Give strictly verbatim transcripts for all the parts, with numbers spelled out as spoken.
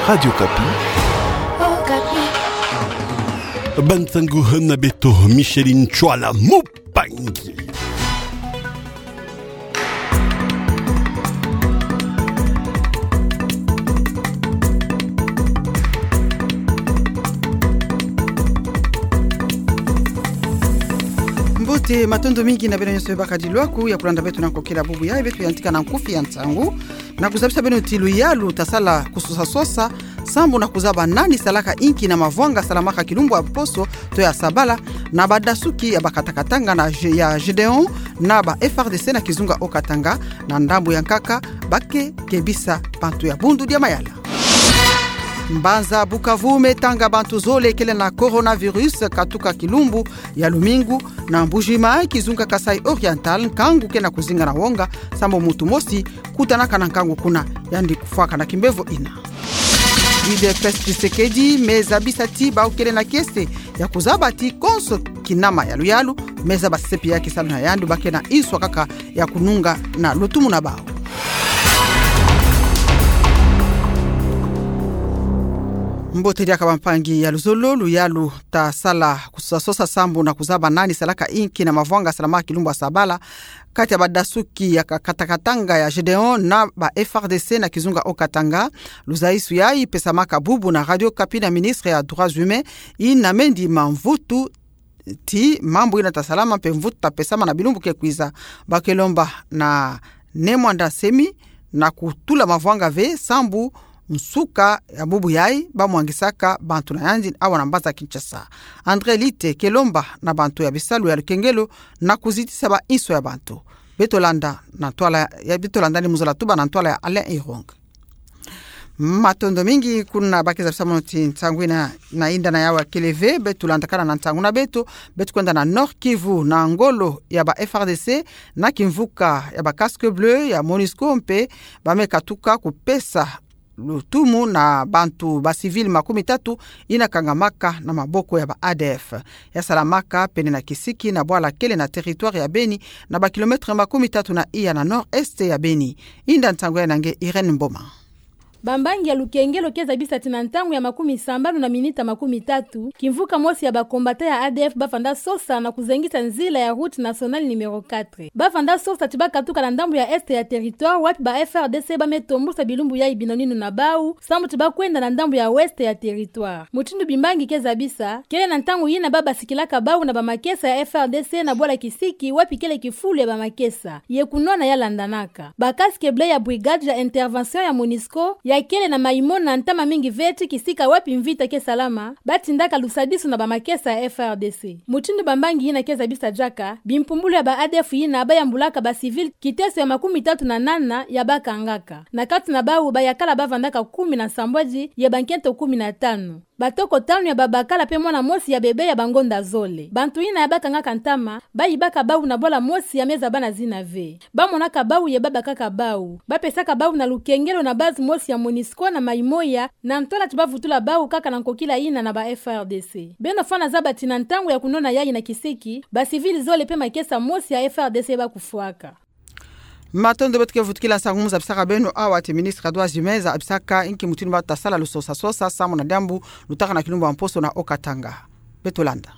Radio Okapi. Okapi. Bansangu na beto, Micheline Chwala Mupangi. Mbote, matondo mingi na beno nyonso bakadi lwaku ya kulanda beto na nkokila bubu yayi. Beto yantika na nkufi ya nsangu na kuzabisa beno ti luyalu tasala kusosa-sosa sambu na kuzaba nani salaka inki na mavwanga salamaka kilumbu ya mposo to ya sabala na badasuki ya bakatakatanga na G-, ya Gédéon na ba F R D C na kizunga Haut-Katanga, na ndambu ya nkaka ba ke kebisa bantu ya Bundu dia Mayala. Mbanza Bukavu me tanga bantu zole kele na coronavirus katuka kilumbu ya lumingu. Na Mbuji-Mayi, kizunga Kasaï Oriental, nkangu ke na kuzinga na wonga sambu muntu mosi kutanaka na nkangu kuna, yandi kufwaka na kimbevo ina. Udps Tshisekedi me zabisa ti bawu kele na kiese ya kuzaba ti konso kinama ya luyalu me zaba sepi ya kisalu na yandi, ba ke na inswa kaka ya kununga na lutumu na bawu. Mbote diaka bampangi ya luzolo, luyalu tasala kusosa-sosa sambu na kuzaba nani salaka inki na mavwanga salamaka kilumbu ya sabala kati ya badasuki ya ka-, katakatanga ya Gédéon na ba F R D C na kizunga Haut-Katanga. Luzaisu yayi pesamaka bubu na Radio Okapi na ministre ya Droits Humains, ina Mendi Mvutu, ti mambu ina tasalama mpe mvutu tapesama na bilumbu ke kwiza. Ba ke lomba na Ne Muanda Nsemi na kutula mavwanga ve sambu nsuka ya bubu yayi ba mwangisaka bantu na yandi awa na mbanza Kinshasa. André Lite ke lomba na bantu ya bisalu ya lukengelo na kuzitisa ba inswa ya bantu. Beto landa na ntwala ya, beto landa ni mu zola tuba na ntwala ya Alain Irung. Matondo mingi kuna ba ke zabisa mono ti nsangu ina na inda na yawu ya kele ve. Beto landakana na nsangu na beto, beto kwenda na Nord-Kivu na ngolo ya ba F R D C na kimvuka ya ba Casques Bleus ya MONUSCO mpe ba me katuka kupesa lutumu na bantu ba civils makumi tatu ina kangamaka na maboko ya ba A D F. Ya salamaka pene na kisiki na bwala kele na territoire ya Beni, na ba kilomètres makumi tatu na iya na nord-est ya Beni. Inda nsangu yayi na nge Irène Mboma. Bambangi ya lukengelo ke zabisa ti na ntangu ya makumi sambanu na minita makumi tatu, kimvuka mosi ya ba combattants ya A D F ba vanda sosa na kuzengisa nzila ya route nationale numéro quatre. Ba vanda sosa ti ba katuka na ndambu ya est ya territoire, wapi ba F R D C ba me tombusa bilumbu yayi binaninu na bawu, sambu ti ba kwenda na ndambu ya ouest ya territoire. Mutindu bimbangi ke zabisa, kele na ntangu yina ba basikilaka bawu na bamakesa ya F R D C na bwala kisiki, wapi kele kifulu ya bamakesa ye kunwana ya landanaka. Ba Casques Bleus ya brigade ya intervention ya MONUSCO ya kele na Maï-Mona ntama mingi ve ti kisika wapi mvita ke salama, ba tindaka lusadisu na bamakesa ya F R D C. Mutindu bambangi yina ke zabisa diaka, bimpumbulu ya ba A D F yina ba yambulaka ba civils kiteso ya makumi tatu na nana ya ba kangaka. Na kati na bawu bayakala ba vandaka kumi na sambwadi ye bankento kumi na tanu. Batoko tanu ya babakala mpe mwana mosi ya bebe ya bangonda zole. Bantu yina ya ba kangaka ntama, ba yibaka bawu na bwala mosi ya me zaba na zina ve. Ba monaka bawu ye ba bakaka bawu. Ba pesaka bawu na lukengelo na base mosi ya MONUSCO na Maï-Moya, na ntwala ti ba vutula bawu kaka na nkokila yina na ba F R D C. Beno fwana zaba ti na ntangu ya kunwana yayi na kisiki, ba civils zole mpe makesa mosi ya F R D C ba kufwaka. Matondo, beto ke vutukila nsangu mu zabisaka beno awa ti ministre ya Droits Humains zabisaka inki mutindu ba tasala lusosa-sosa samu na diambu lutaka na kilumbu ya mposo na Haut-Katanga. Beto landa.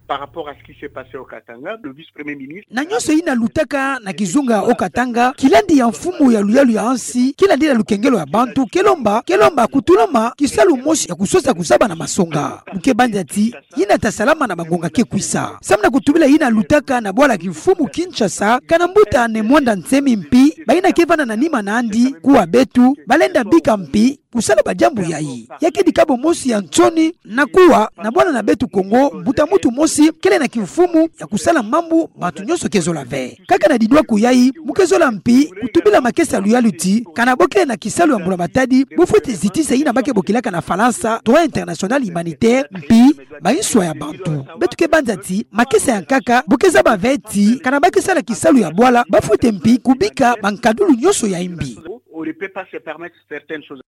Par rapport à ce qui s'est passé au Katanga, le vice-premier ministre... Na nyonso yina lutaka na kizunga Haut-Katanga, kilandi ya mfumu ya luyalu ya ansi, kilandi na lukengelo ya bantu, ke lomba, ke lomba kutulama kisalu mosi ya kusosa kuzaba na masonga. Mu ke banza ti yina tasalama na bangonga ke kwisa. Samu na kutubila yina lutaka na bwala kimfumu Kinshasa, kana mbuta Ne Muanda Nsemi mpi, bayina ke vanda na nima nandi, kuwa beto, ba lenda bika mpi kusala badiambu yayi. Ya ke dikabo mosi ya nsoni, na kuwa, na bwala na beto Kongo, mbuta muntu mosi kele na kimfumu ya kusala mambu bantu nyonso ke zola ve. Kaka na didwaku yayi, mu ke zola mpi kutubila makesa ya luyalu ti, kana bo kele na kisalu ya mbula matadi, bo fwete zitisa yina ba ke bokilaka na Falansa droit international humanitaire, mpi bainswa ya bantu. Beto ke banza ti makesa ya nkaka bo ke zaba ve ti, kana ba ke sala kisalu ya bwala, ba fwete mpi kubika bankadulu nyonso ya imbi. On ne peut pas se permettre certaines choses.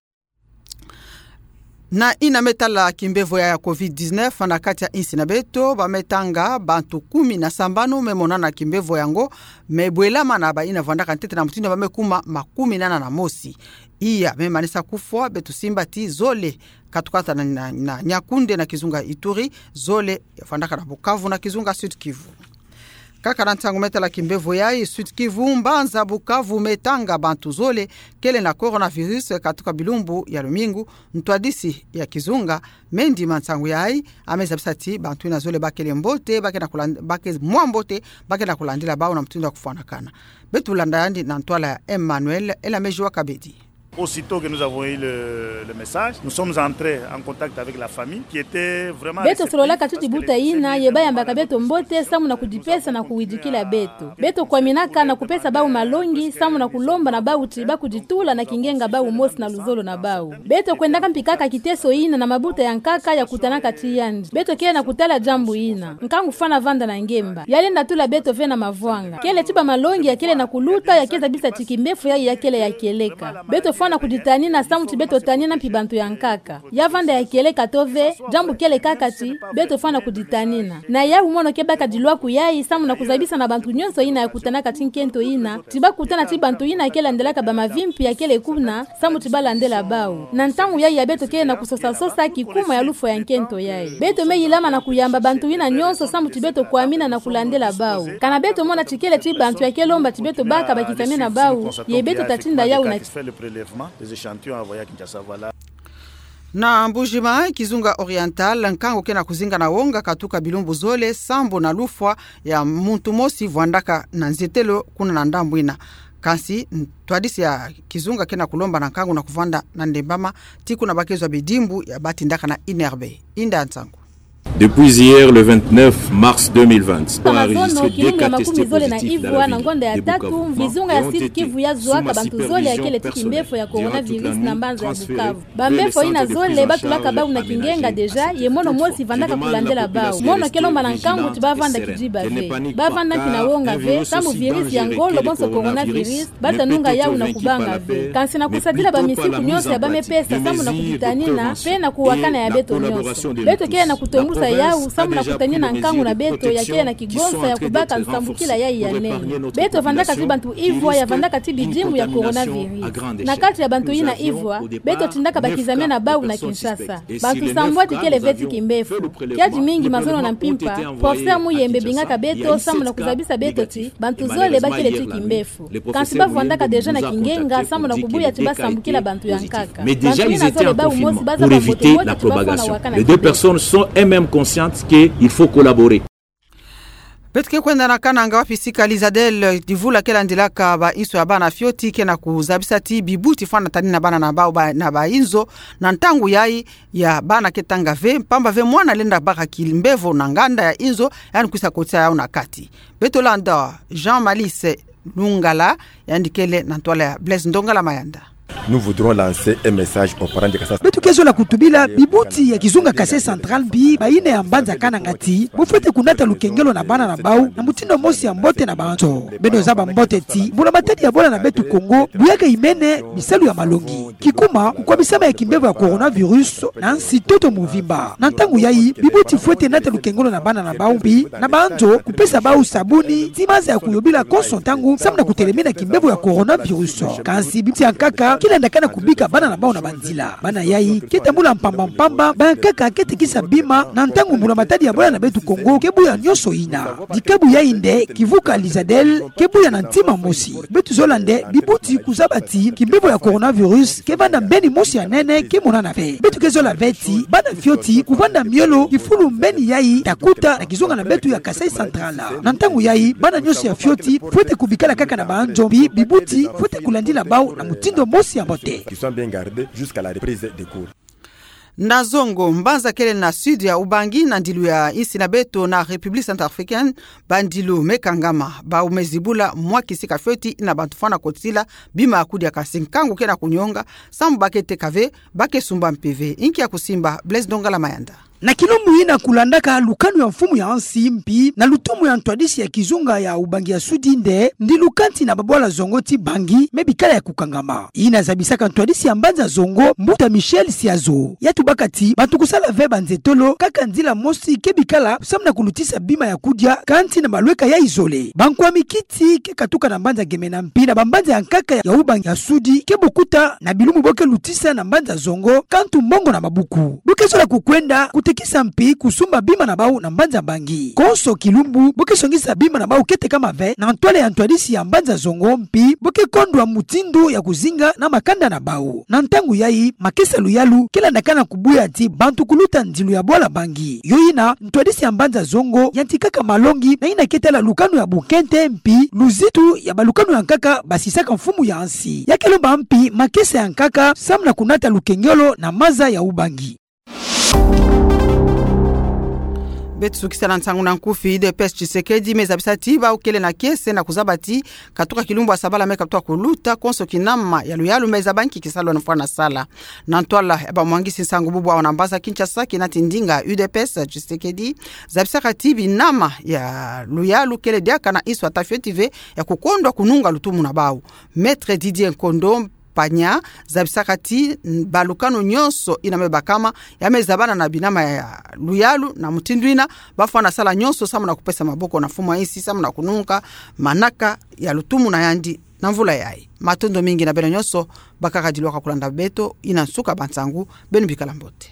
Na ina me tala kimbevo ya covid dix-neuf na kati ya insi na beto, ba me tanga bantu kumi na sambanu me monana kimbevo yango, me bwela mana ba ina vwandaka ntete na mutindu ba me kuma makumi nana na mosi. Iya me manisa kufwa, beto simba ti zole katukata na, na, na Nyakunde na kizunga Ituri, zole ya vwandaka na Bukavu na kizunga Sud-Kivu. Kaka na ntangu me tala kimbevo yayi, Sud-Kivu, mbanza Bukavu me tanga bantu zole kele na coronavirus katuka bilumbu ya lumingu. Ntwadisi ya kizunga me ndima ntangu yayi, a me zabisa ti bantu ina zole ba kele mbote, ba ke na kulan-, ba ke mwa mbote, ba ke na kulandila bawu na mutindu ya kufwanakana. Beto landa yandi na ntwala ya Emmanuel Elamejua Kabedi. Aussitôt que nous avons eu le, le message, nous sommes entrés en contact avec la famille qui était vraiment réceptive. Beto sololaka ti buta ina, ye ba yambaka beto mbote samu na kudipesa na kuwidikila beto. Beto kwaminaka na kupesa bawu malongi samu na kulomba na bawu ti ba kuditula na kingenga bawu mosi na luzolo na bawu. Beto kwendaka mpi kaka kiteso ina na mabuta ya nkaka ya kutanaka ti yandi. Beto kele na kutala diambu ina. Nkangu fwana vanda na ngemba. Ya lenda tula beto ve na mavwanga. Kele ti ba malongi ya kele na kuluta ya ke zabisa ti kimbevo yayi ya kele ya kieleka. Beto fwana kuditanina samu ti beto tanina mpi bantu ya nkaka. Ya vanda ya kieleka to ve, diambu kele kaka ti beto fwana kuditanina. Na yawu mono ke baka dilwaku yayi samu na kuzabisa na bantu nyonso ina ya kutanaka ti nkento ina ti ba kutana ti bantu ina ke landelaka ba mavimpi ya kele kuna, samu ti ba landela bawu. Na ntangu yayi ya beto kele na kusosa-sosa kikuma ya lufwa ya nkento yayi. Beto me yilama na kuyamba bantu ina nyonso samu ti beto kwamina na kulandela bawu. Kana beto mona ti kele ti bantu ya ke lomba ti beto baka ba kizame na bawu, ye beto ta tinda yawu na Na Mbuji-Mayi, kizunga Oriental, nkangu ke na kuzinga na wonga katuka bilumbu zole sambu na lufwa ya muntu mosi vwandaka na nzietelo kuna na ndambu ina. Kansi ntwadisi ya kizunga ke na kulomba na nkangu na kuvanda na ndembama ti kuna ba ke zwa bidimbu ya ba tindaka na I N R B. Inda nsangu. Depuis hier, le vingt-neuf mars deux mille vingt, on a enregistré deux cas testés positifs dans la ville de Bukavu. Kizunga ya Sud-Kivu ya zwaka bantu zole ya kele ti kimbevo ya coronavirus na mbanza ya Bukavu. Ba mbefo ina zole ba tulaka bawu na kingenga déjà, ye mono mosi vandaka kulandela bawu. Mono ke lomba na nkangu ti ba vanda kidiba ve. Ba vanda mpi na wonga ve, sambu virus ya ngolo bonso coronavirus, ba ta nunga yawu na kubanga ve. Kansi na kusadila ba misiku nyonso ya ba me pesa sambu na kuditanina, mpe na kuwakana ya beto nyonso. Beto kele na kutombusa yawu, sambu na kutanina nkangu na beto ya kele na kigonsa ya kubaka nsambukila yayi ya nene. Beto vandaka ti bantu ivwa ya vandaka ti bidimbu ya coronavirus. Na kati ya bantu ina ivwa, beto tindaka ba kizame na bawu na Kinshasa. Bantu sambwadi kele ve ti kimbevo. Kiadi mingi mazono na mpimpa, Professeur Muyembe bingaka beto sambu na kuzabisa beto ti bantu zole ba kele ti kimbevo. Kansi ba vwandaka déjà na kingenga sambu na kubuya ti ba sambukila bantu ya nkaka. Bantu ina zole bawu mosi ba zaba mbote mbote ti ba fwana wakana kimbevo. Les deux personnes sont elles-mêmes conscientes qu'il faut collaborer. Beto ke kwenda na Kananga wapi sika Lizadel, divula ke landilaka ba inso ya bana fioti, ke na kuzabisa ti bibuti fwana tanina bana na bawu ba, na ba inzo, na ntangu yayi ya bana ke tanga ve, mpamba ve mwana lenda baka kimbevo na nganda ya inzo, yandi kwisa kotisa yawu na kati. Beto landa Jean Malice Lungala, yandi kele na ntwala ya Blaise Ndongala Mayanda. Nous voudrons lancer un message aux parents de Kasai. Beto ke zola kutubila bibuti ya kizunga Kasai Central mpi ba ina ya mbanza Kananga ti bo fwete kunata lukengelo na bana na bawu na mutindu mosi ya mbote na banzo. Beno zaba mbote ti mbula matadi ya bwala na beto Kongo buyaka imene bisalu ya malongi. Kikuma, kukwamisama ya kimbevo ya coronavirus na nsi-toto muvimba. Na ntangu yayi, bibuti fwete nata lukengelo na bana na bawu mpi na banzo, kupesa bawu sabuni, ti maza ya kuyobila konso ntangu, sambu na kutelemina kimbevo ya coronavirus. Kansi bibuti ya nkaka ke landakana kubika bana na bawu na banzila. Bana yayi ke tambula mpamba mpamba, ba ya nkaka ke tekisa bima, na ntangu mbula matadi ya bwala na beto Kongo ke buya nyonso ina. Dikabu yayi nde kivuka Lizadel ke buya na ntima mosi. Beto zola nde bibuti kuzaba ti kimbevo ya coronavirus ke vanda mbeni mosi ya nene ke monana ve. Beto ke zola ve ti bana fioti kuvanda miolo kifulu mbeni yayi ta kuta na kizunga na beto ya Kasai Central. Na ntangu yayi, bana nyonso ya fioti fwete kubikala kaka na banzo mpi bibuti fwete kulandila bawu na mutindu mosi ya mbote. Qui sont bien gardés jusqu'à la reprise des cours. Na zongo, mbanza kele na sud ya Ubangi, na ndilu ya insi na beto na République centrafricaine, bandilu me kangama, bawu me zibula mwa kisika fioti ina bantu fwana kotila bima ya kudia, kansi nkangu ke na kunyonga, sambu ba ke teka ve, ba ke sumba mpe ve. Inki ya kusimba, Blaise Ndongala Mayanda. Na kilumbu ina kulandaka lukanu ya mfumu ya nsi mpi na lutumu ya ntwadisi ya kizunga ya ubangi ya sudi nde, ndilu kanti na babwala zongo ti bangi me bikala ya kukangama. Ina zabisaka ntwadisi ya mbanza zongo, mbuta Michel Siazo, ya tubaka ti bantu kusala ve banzetolo kaka nzila mosi ke bikala samu na kulutisa bima ya kudia, kanti na malweka ya izole. Bankwami kiti ke katuka na mbanza Gemena mpi na bambanza ya nkaka ya ubangi ya sudi ke bukuta na bilumbu bo ke lutisa na mbanza zongo kantu mbongo na mabuku. Bo ke zola kukwenda kutekisa mpi kusumba bima na bau na mbanza Bangi. Konso kilumbu bo ke songisa bima na bau ke tekama ve na ntwala ya ntwadisi ya mbanza zongo mpi bo ke kondwa mutindu ya kuzinga na makanda na bau. Na ntangu yayi, makesa luyalu ke landakana kubuya ti bantu kuluta ndilu ya bwala Bangi. Yo ina, ntwadisi ya mbanza zongo yantikaka malongi na ina ke tala lukanu ya bunkente mpi luzitu ya balukanu ya nkaka basisaka mfumu ya nsi. Ya ke lomba mpi makesa ya nkaka samu na kunata lukengolo na maza ya ubangi. Beto sukisa na nsangu na nkufi. U D P S Tshisekedi me zabisa ti bau kele na kiese na kuzaba ti katuka kilumbu ya sabala me katuka kuluta, konso kinama ya luyalu me zaba nki kisalu na fwana sala. Na ntwala ya bamwangisi nsangu bubu awa na mbanza Kinshasa, kina ti ndinga U D P S Tshisekedi zabisaka ti binama ya luyalu kele diaka na insu ya tafioti ve ya kukondwa kununga lutumu na bau. Maître Didier Nkondo Panya zabisaka ti balukanu nyonso ina me bakama ya me zabana na binama ya luyalu na mutindu ina, bafwana sala nyonso samu na kupesa maboko na mfumu ya nsi samu na kununga manaka ya lutumu na yandi na mvula yayi. Matondo mingi na beno nyonso bakaka dilwaka kulanda beto. Ina nsuka bansangu, beno bikala mbote.